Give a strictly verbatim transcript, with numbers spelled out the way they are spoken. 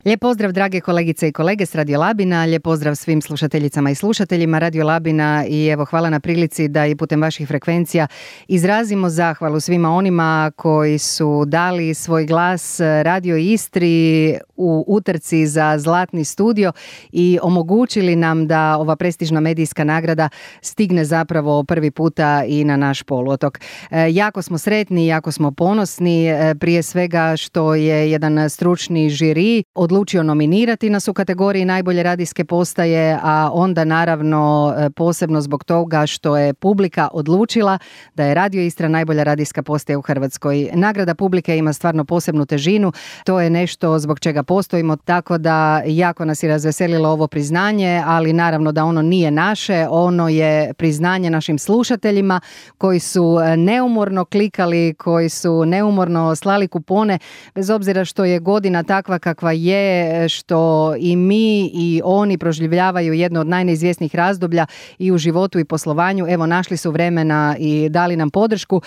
Lijep pozdrav drage kolegice i kolege s Radio Labina, lijep pozdrav svim slušateljicama i slušateljima Radio Labina i evo hvala na prilici da i putem vaših frekvencija izrazimo zahvalu svima onima koji su dali svoj glas Radio Istri u utrci za Zlatni studio i omogućili nam da ova prestižna medijska nagrada stigne zapravo prvi puta i na naš poluotok. E, jako smo sretni, jako smo ponosni, e, prije svega što je jedan stručni žiri odlučio nominirati nas u kategoriji najbolje radijske postaje, a onda naravno posebno zbog toga što je publika odlučila da je Radio Istra najbolja radijska postaja u Hrvatskoj. Nagrada publike ima stvarno posebnu težinu, to je nešto zbog čega postojimo, tako da jako nas je razveselilo ovo priznanje, ali naravno da ono nije naše, ono je priznanje našim slušateljima koji su neumorno klikali, koji su neumorno slali kupone, bez obzira što je godina takva kakva je, što i mi i oni proživljavaju jedno od najneizvjesnijih razdoblja i u životu i poslovanju. Evo, našli su vremena i dali nam podršku.